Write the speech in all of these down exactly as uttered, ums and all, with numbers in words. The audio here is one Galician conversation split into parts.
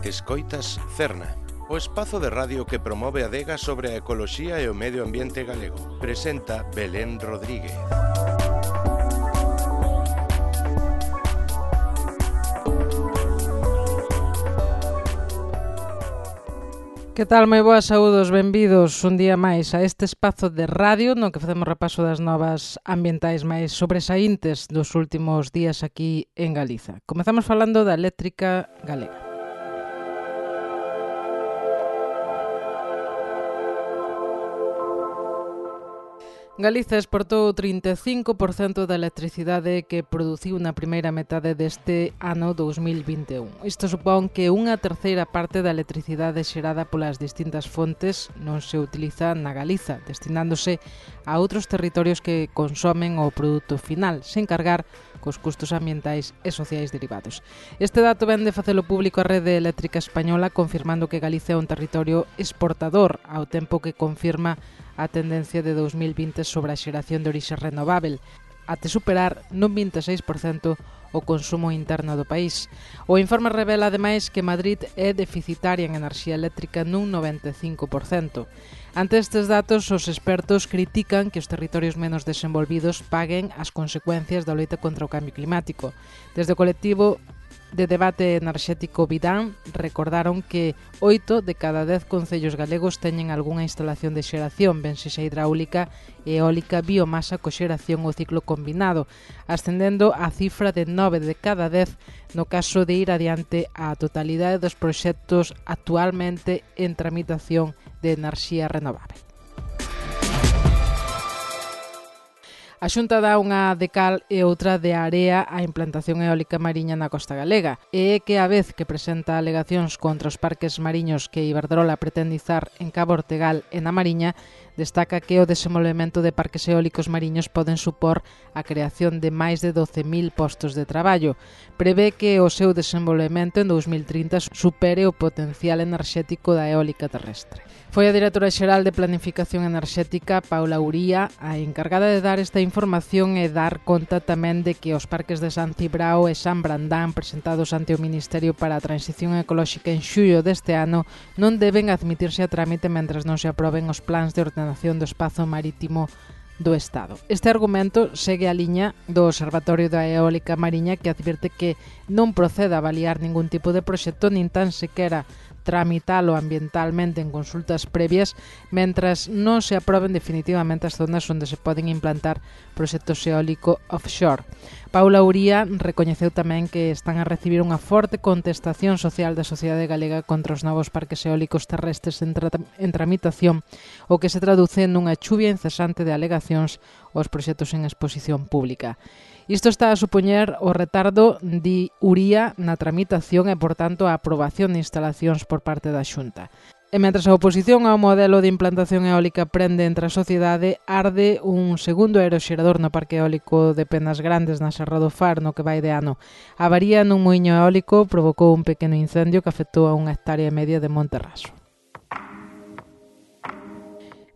Escoitas Cerna, o espazo de radio que promove a adega sobre a ecoloxía e o medio ambiente galego. Presenta Belén Rodríguez. Que tal, moi boas saúdos, benvidos un día máis a este espazo de radio no que facemos repaso das novas ambientais máis sobresaíntes dos últimos días aquí en Galiza. Comezamos falando da eléctrica galega. Galiza exportou o trinta e cinco por cento da electricidade que produciu na primeira metade deste ano dous mil vinte e un. Isto supón que unha terceira parte da electricidade xerada polas distintas fontes non se utiliza na Galiza, destinándose a outros territorios que consomen o produto final, sen cargar cos custos ambientais e sociais derivados. Este dato vén de facelo público a Rede Eléctrica Española, confirmando que Galicia é un territorio exportador, ao tempo que confirma a tendencia de dous mil vinte sobre a xeración de orixe renovável, até superar nun vinte e seis por cento o consumo interno do país. O informe revela, ademais, que Madrid é deficitaria en enerxía eléctrica nun noventa e cinco por cento. Ante estes datos, os expertos critican que os territorios menos desenvolvidos paguen as consecuencias da loita contra o cambio climático. Desde o colectivo de debate enerxético Vidán recordaron que oito de cada dez concellos galegos teñen algunha instalación de xeración, ben sexa hidráulica, eólica, biomasa, coxeración ou ciclo combinado, ascendendo a cifra de nove de cada dez no caso de ir adiante a totalidade dos proxectos actualmente en tramitación de enerxía renovável. A Xunta dá unha de cal e outra de area á implantación eólica mariña na costa galega, e é que a vez que presenta alegacións contra os parques mariños que Iberdrola pretende izar en Cabo Ortegal e na Mariña, destaca que o desenvolvemento de parques eólicos mariños poden supor a creación de máis de doce mil postos de traballo. Prevé que o seu desenvolvemento en dous mil trinta supere o potencial enerxético da eólica terrestre. Foi a directora xeral de Planificación Enerxética, Paula Uría, a encargada de dar esta información e dar conta tamén de que os parques de San Cibrao e San Brandán presentados ante o Ministerio para a Transición Ecolóxica en xullo deste ano non deben admitirse a trámite mentras non se aproben os plans de ordenación do espazo marítimo do Estado. Este argumento segue a liña do Observatorio da Eólica Mariña, que advirte que non procede a avaliar ningún tipo de proxecto nin tan sequera tramitalo ambientalmente en consultas previas mentras non se aproben definitivamente as zonas onde se poden implantar proxectos eólico offshore. Paula Uría recoñeceu tamén que están a recibir unha forte contestación social da sociedade galega contra os novos parques eólicos terrestres en, tra en tramitación, o que se traduce nunha chuvia incesante de alegacións aos proxectos en exposición pública. Isto está a supoñer o retardo, di Uría, na tramitación e, por tanto, a aprobación de instalacións por parte da Xunta. E mentras a oposición ao modelo de implantación eólica prende entre a sociedade, arde un segundo aeroxerador no parque eólico de Penas Grandes na Serra do Far no que vai de ano. A avaría nun muiño eólico provocou un pequeno incendio que afectou a unha hectárea e media de monte raso.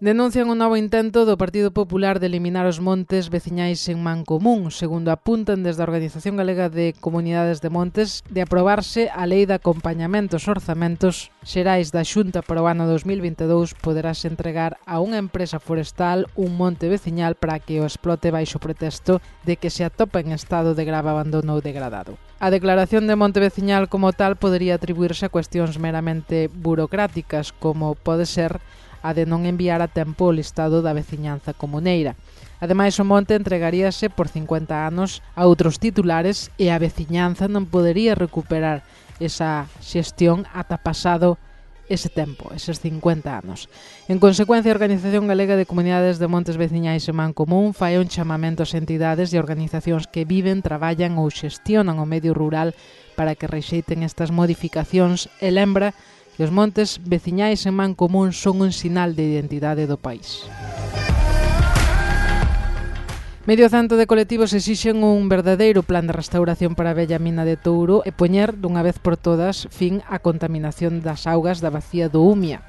Denuncian un novo intento do Partido Popular de eliminar os montes veciñais en Mancomún, segundo apuntan desde a Organización Galega de Comunidades de Montes, de aprobarse a Lei de Acompañamento aos Orzamentos Xerais da Xunta para o ano dous mil vinte e dous, poderase entregar a unha empresa forestal un monte veciñal para que o explote baixo pretexto de que se atopa en estado de grave abandono ou degradado. A declaración de monte veciñal como tal podería atribuirse a cuestións meramente burocráticas, como pode ser a de non enviar a tempo o listado da veciñanza comuneira. Ademais, o monte entregaríase por cincuenta anos a outros titulares e a veciñanza non podería recuperar esa xestión ata pasado ese tempo, eses cincuenta anos. En consecuencia, a Organización Galega de Comunidades de Montes Veciñais en Mancomún fai un chamamento ás entidades e organizacións que viven, traballan ou xestionan o medio rural para que rexeiten estas modificacións e lembra que os montes veciñais en Mancomún son un sinal de identidade do país. Medio cento de colectivos exixen un verdadeiro plan de restauración para a vella mina de Touro e poñer dunha vez por todas fin á contaminación das augas da bacía do Umia.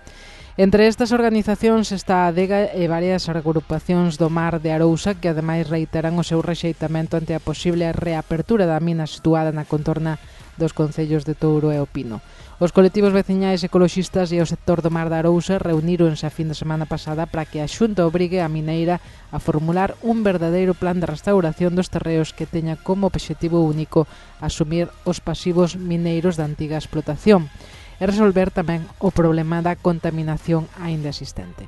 Entre estas organizacións está a Adega e varias agrupacións do mar de Arousa que ademais reiteran o seu rexeitamento ante a posible reapertura da mina situada na contorna dos concellos de Touro e O Pino. Os colectivos veciñais ecoloxistas e o sector do Mar da Arousa reuníronse a fin de semana pasada para que a Xunta obrigue a mineira a formular un verdadeiro plan de restauración dos terreos que teña como obxectivo único asumir os pasivos mineiros da antiga explotación e resolver tamén o problema da contaminación aínda existente.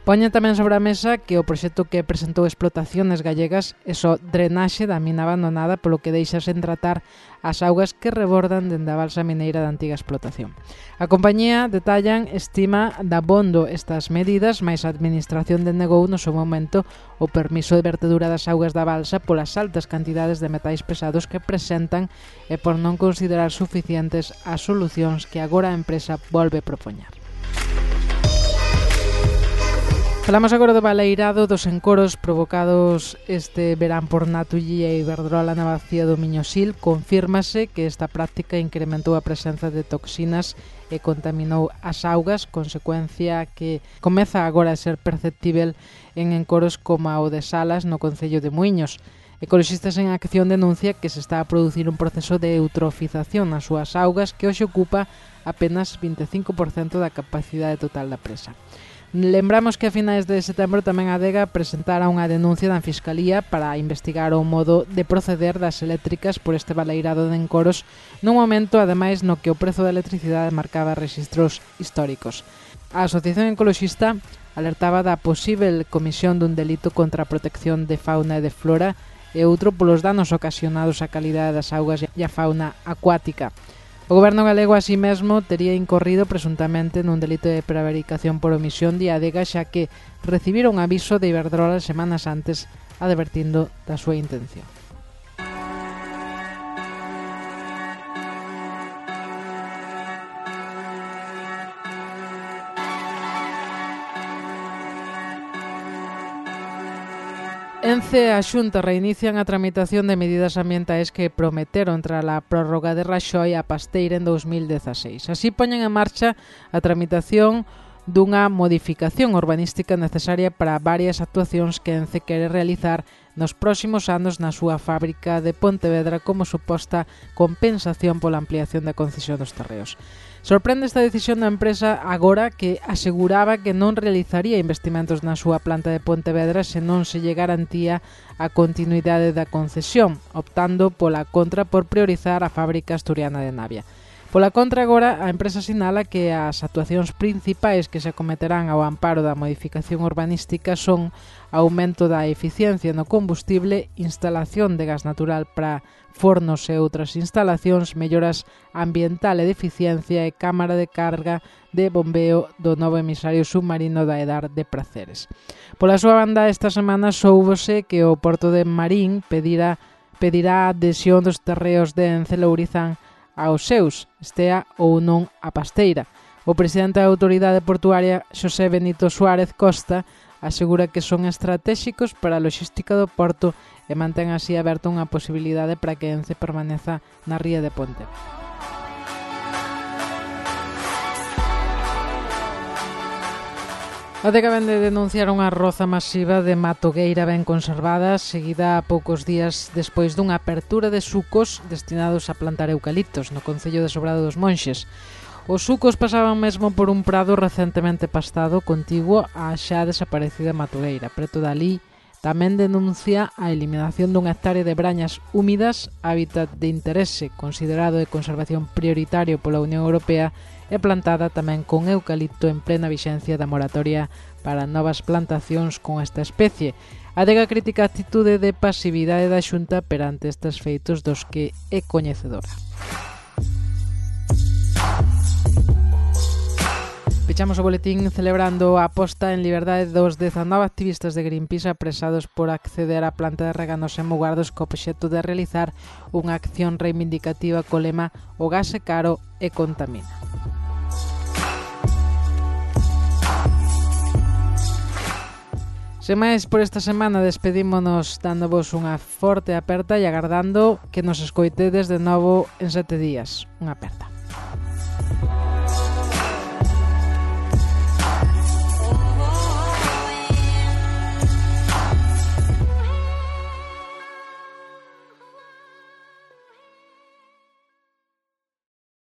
Poñen tamén sobre a mesa que o proxecto que presentou Explotaciones Gallegas é só drenaxe da mina abandonada, polo que deixa sen tratar as augas que rebordan dende a balsa mineira da antiga explotación. A compañía, detallan, estima dabondo estas medidas, mais a administración denegou no seu momento o permiso de vertedura das augas da balsa polas altas cantidades de metais pesados que presentan e por non considerar suficientes as solucións que agora a empresa volve propoñer. Falamos agora do baleirado dos encoros provocados este verán por Naturgy e Iberdrola na bacía do Miñosil. Confírmase que esta práctica incrementou a presenza de toxinas e contaminou as augas, consecuencia que comeza agora a ser perceptível en encoros como o de Salas no concello de Muiños. Ecoloxistas en Acción denuncia que se está a producir un proceso de eutrofización nas súas augas que hoxe ocupa apenas vinte e cinco por cento da capacidade total da presa. Lembramos que a finais de setembro tamén a Adega presentara unha denuncia na Fiscalía para investigar o modo de proceder das eléctricas por este baleirado de encoros nun momento, ademais, no que o prezo da electricidade marcaba rexistros históricos. A Asociación Ecoloxista alertaba da posíbel comisión dun delito contra a protección de fauna e de flora e outro polos danos ocasionados á calidade das augas e á fauna acuática. O goberno galego así mesmo tería incorrido presuntamente nun delito de prevaricación por omisión de Adega, xa que recibiron un aviso de Iberdrola semanas antes advertindo da súa intención. Ence e a Xunta reinician a tramitación de medidas ambientais que prometeron tras a prórroga de Raxoi a Pasteira en dos mil dezaseis. Así poñen en marcha a tramitación dunha modificación urbanística necesaria para varias actuacións que Ence quere realizar nos próximos anos na súa fábrica de Pontevedra como suposta compensación pola ampliación da concesión dos terreos. Sorprende esta decisión da empresa agora que aseguraba que non realizaría investimentos na súa planta de Pontevedra se non se lle garantía a continuidade da concesión, optando pola contra por priorizar a fábrica asturiana de Navia. Pola contra, agora, a empresa sinala que as actuacións principais que se acometerán ao amparo da modificación urbanística son aumento da eficiencia no combustible, instalación de gas natural para fornos e outras instalacións, melloras ambiental e de eficiencia e cámara de carga de bombeo do novo emisario submarino da Edar de Praceres. Pola súa banda, esta semana soubose que o Porto de Marín pedirá, pedirá a adhesión dos terreos de Ence Lourizán aos seus, estea ou non a Pasteira. O presidente da Autoridade Portuaria, Xosé Benito Suárez Costa, asegura que son estratéxicos para a loxística do porto e mantén así aberta unha posibilidade para que Ence permaneza na ría de Ponte. A Adega vén de denunciar unha roza masiva de matogueira ben conservada, seguida a poucos días despois dunha apertura de sucos destinados a plantar eucaliptos no concello de Sobrado dos Monxes. Os sucos pasaban mesmo por un prado recentemente pastado contiguo á xa desaparecida matogueira. Preto dali tamén denuncia a eliminación dunha hectárea de brañas húmidas, hábitat de interese considerado de conservación prioritario pola Unión Europea, e plantada tamén con eucalipto en plena vixencia da moratoria para novas plantacións con esta especie. A Adega critica a actitude de pasividade da Xunta perante estes feitos dos que é coñecedora. Pechamos o boletín celebrando a posta en liberdade dos dezanove activistas de Greenpeace apresados por acceder á planta de Reganos en Mugardos co obxecto de realizar unha acción reivindicativa co lema "O gas é caro e contamina". Sen máis por esta semana, despedímonos dándovos unha forte aperta e agardando que nos escoitedes de novo en sete días. Unha aperta.